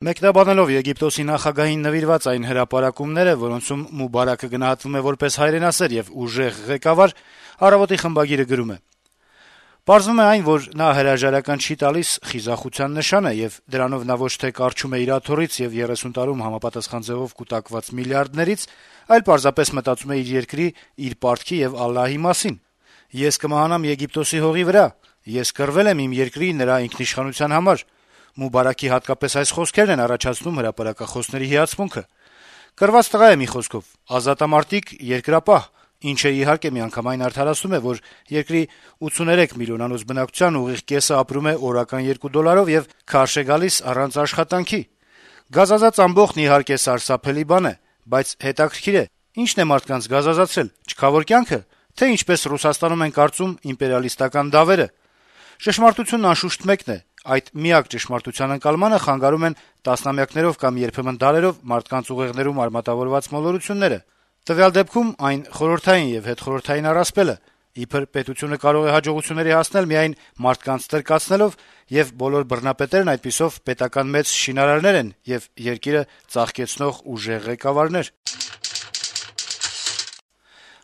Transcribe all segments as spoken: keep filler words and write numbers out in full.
Մեկնաբանելով Եգիպտոսի նախագահին նվիրված այն հրապարակումները, որոնցում Մուբարակը գնահատվում է որպես հայրենասեր եւ ուժեղ ղեկավար, «Առավոտ»-ի խմբագիրը գրում է. - «Պարզվում է այն, որ նա հրաժարական չի տալիս խիզախության նշանը, եւ դրանով նա ոչ թե կառչում է իր աթոռից եւ երեսուն տարում համապատասխան ձեւով կուտակված միլիարդներից, այլ պարզապես մտածում է իր երկրի, իր պարտքի եւ Ալլահի մասին։ Ես կմահանամ Եգիպտոսի հողի վրա, ես կռվել եմ իմ երկրի, նրա ինքնիշխանության համար։ Մուբարակի հատկապես այս խոսքերն են առաջացնում հրապարակախոսների հիացմունքը։ Կռված տղա է, մի խոսքով, ազատամարտիկ, երկրապահ, ինչը իհարկե միանգամայն արդարացնում է, որ երկրի ութսուներեք միլիոնանոց բնակչության ուղիղ կեսը ապրում է օրական երկու դոլարով եւ քարշ է գալիս առանց աշխատանքի։ Գազազած ամբոխն իհարկե սարսափելի բան է, բայց հետաքրքիր է, ի՞նչն է մարդկանց գազազացրել, չքավոր կյանքը, թե ինչպես Ռուսաստանում են կարծում իմպերիալիստական դավերը։ Ճշմարտությունն անշուշտ մեկն է, այդ միակ ճշմարտության ընկալմանը խանգարում են տասնամյակներով կամ երբեմն դարերով մարդկանց ուղեղներում արմատավորված մոլորությունները։ Տվյալ դեպքում այն խորհրդային եւ հետխորհրդային առասպելը, իբր պետությունը կարող է հաջողությունների հասնել միայն մարդկանց տրկացնելով, եւ բոլոր բռնապետերն այդպիսով պետական մեծ շինարարներ են եւ երկիրը ծաղկեցնող ուժեղ ղեկավարներ»։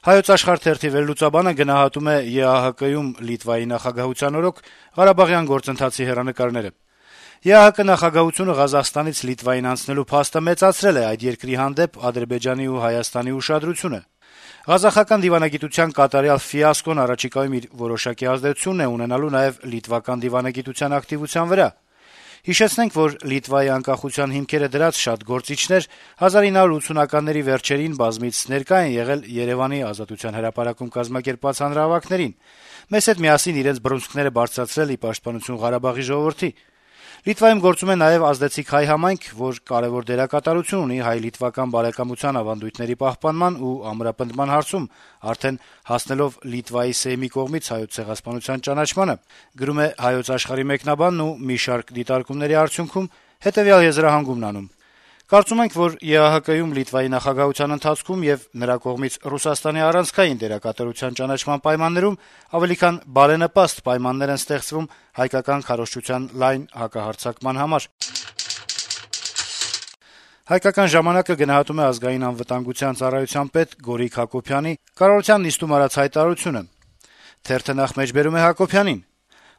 «Հայոց Աշխարհ» թերթի վերլուծաբանը գնահատում է ԵԱՀԿ-ում Լիտվայի նախագահության օրոք ղարաբաղյան գործընթացի հեռանկարները. - «ԵԱՀԿ նախագահությունը Ղազախստանից Լիտվային անցնելու փաստը մեծացրել է այդ երկրի հանդեպ Ադրբեջանի ու Հայաստանի ուշադրությունը։ Ղազախական դիվանագիտության կատարյալ ֆիասկոն առաջիկայում իր որոշակի ազդեցությունն է ունենալու նաեւ լիտվական դիվանագիտության ակտիվության վրա։ Հիշեցնենք, որ Լիտվայի անկախության հիմքերը դրած շատ գործիչներ հազար ինը հարյուր ութսունականների վերջերին բազմիցս ներկա են եղել Երեւանի Ազատության հրապարակում կազմակերպված հանրահավաքներին, մեզ հետ միասին իրենց բռունցքները բարձրացրել ի պաշտպանություն Ղարաբաղի ժողովրդի։ Լիտվայում գործում է նաեւ ազդեցիկ հայ համայնք, որ կարեւոր դերակատարություն ունի հայ-լիտվական բարեկամության ավանդույթների պահպանման ու ամրապնդման հարցում, արդեն հասնելով Լիտվայի Սեյմի կողմից Հայոց ցեղասպանության ճանաչմանը», գրում է «Հայոց Աշխարհ»-ի մեկնաբանն ու մի շարք դիտարկումների արդյունքում հետեւյալ եզրահանգումն անում. «Կարծում ենք, որ ԵԱՀԿ-ում Լիտվայի նախագահության ընթացքում եւ նրա կողմից Ռուսաստանի առանցքային դերակատարության ճանաչման պայմաններում ավելի քան բարենպաստ պայմաններ են ստեղծվում հայկական քարոզչության լայն հակահարձակման համար»։ «Հայկական ժամանակ»-ը գնահատում է Ազգային անվտանգության ծառայության պետ Գորիկ Հակոբյանի կառավարության նիստում արած հայտարարությունը. - «Նախ մեջբերում է Հակոբյանին.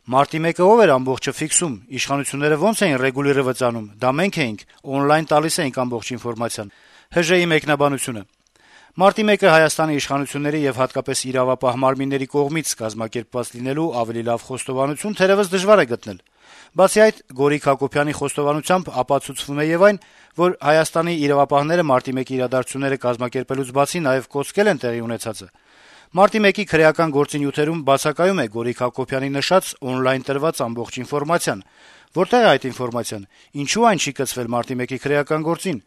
Մարտի մեկը ով էր ամբողջը ֆիքսում, իշխանությունները ո՞նց էին ռեգուլիրovat անում, դա մենք էինք, օնլայն տալիս էինք ամբողջ ինֆորմացիան»։ ՀԺ-ի մեկնաբանությունը. - «Մարտի մեկը Հայաստանի իշխանությունների եւ հատկապես իրավապահ մարմինների կողմից կազմակերպված լինելու ավելի լավ խոստովանություն թերեւս դժվար է գտնել։ Բացի այդ, Գորիկ Հակոբյանի խոստովանությամբ ապացուցվում է եւ այն, որ Հայաստանի իրավապահները մարտի մեկի իրադարձությունները կազմակերպելուց բացի նաեւ կոծկել են տեղի ունեցածը։ Մարտի մեկի քրեական գործի նյութերում բացակայում է Գորիկ Հակոբյանի նշած օնլայն տրված ամբողջ ինֆորմացիան։ Որտե՞ղ է այդ ինֆորմացիան, ինչու այն չի կցվել մարտի մեկի քրեական գործին,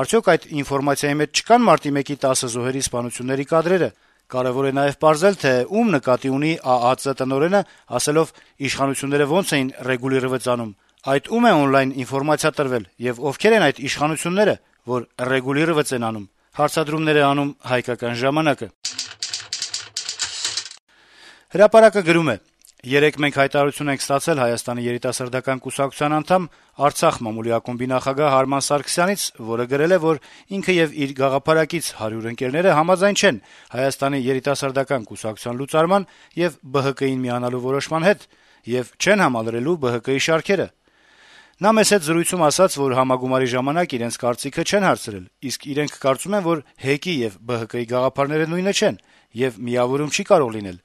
արդյոք այդ ինֆորմացիայի մեջ չկան մարտի մեկի տասը զոհերի սպանությունների կադրերը։ Կարեւոր է նաեւ պարզել, թե ում նկատի ունի ԱԱԾ տնօրենը, ասելով իշխանությունները ոնց էին ռեգուլիրovat անում, այդ ում է օնլայն ինֆորմացիա տրվել եւ ովքեր են այդ իշխանությունները, որ ռեգուլիրovat են անում»։ Հարցադրումներ է անում «Հայկական ժամանակ»-ը։ «Հրապարակ»-ը գրում է. - «Երեկ մենք հայտարարություն ենք ստացել Հայաստանի երիտասարդական կուսակցության անդամ, Արցախ մամուլի ակումբի նախագահ Արման Սարգսյանից, որը գրել է, որ ինքը եւ իր գաղափարակից հարյուր ընկերները համաձայն չեն Հայաստանի երիտասարդական կուսակցության լուծարման եւ ԲՀԿ-ին միանալու որոշման հետ եւ չեն համալրելու ԲՀԿ-ի շարքերը։ Նա մեզ հետ զրույցում ասաց, որ համագումարի ժամանակ իրենց կարծիքը չեն հարցրել, իսկ իրենք կարծում են, որ ՀԵԿ-ի եւ ԲՀԿ-ի գաղափարները նույնը չեն եւ միավորում չի կարող լինել։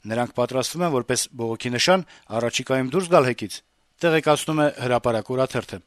Նրանք պատրաստվում են որպես բողոքի նշան առաջիկայում դուրս գալ ՀԵԿ-ից», տեղեկացնում է «Հրապարակ» օրաթերթը։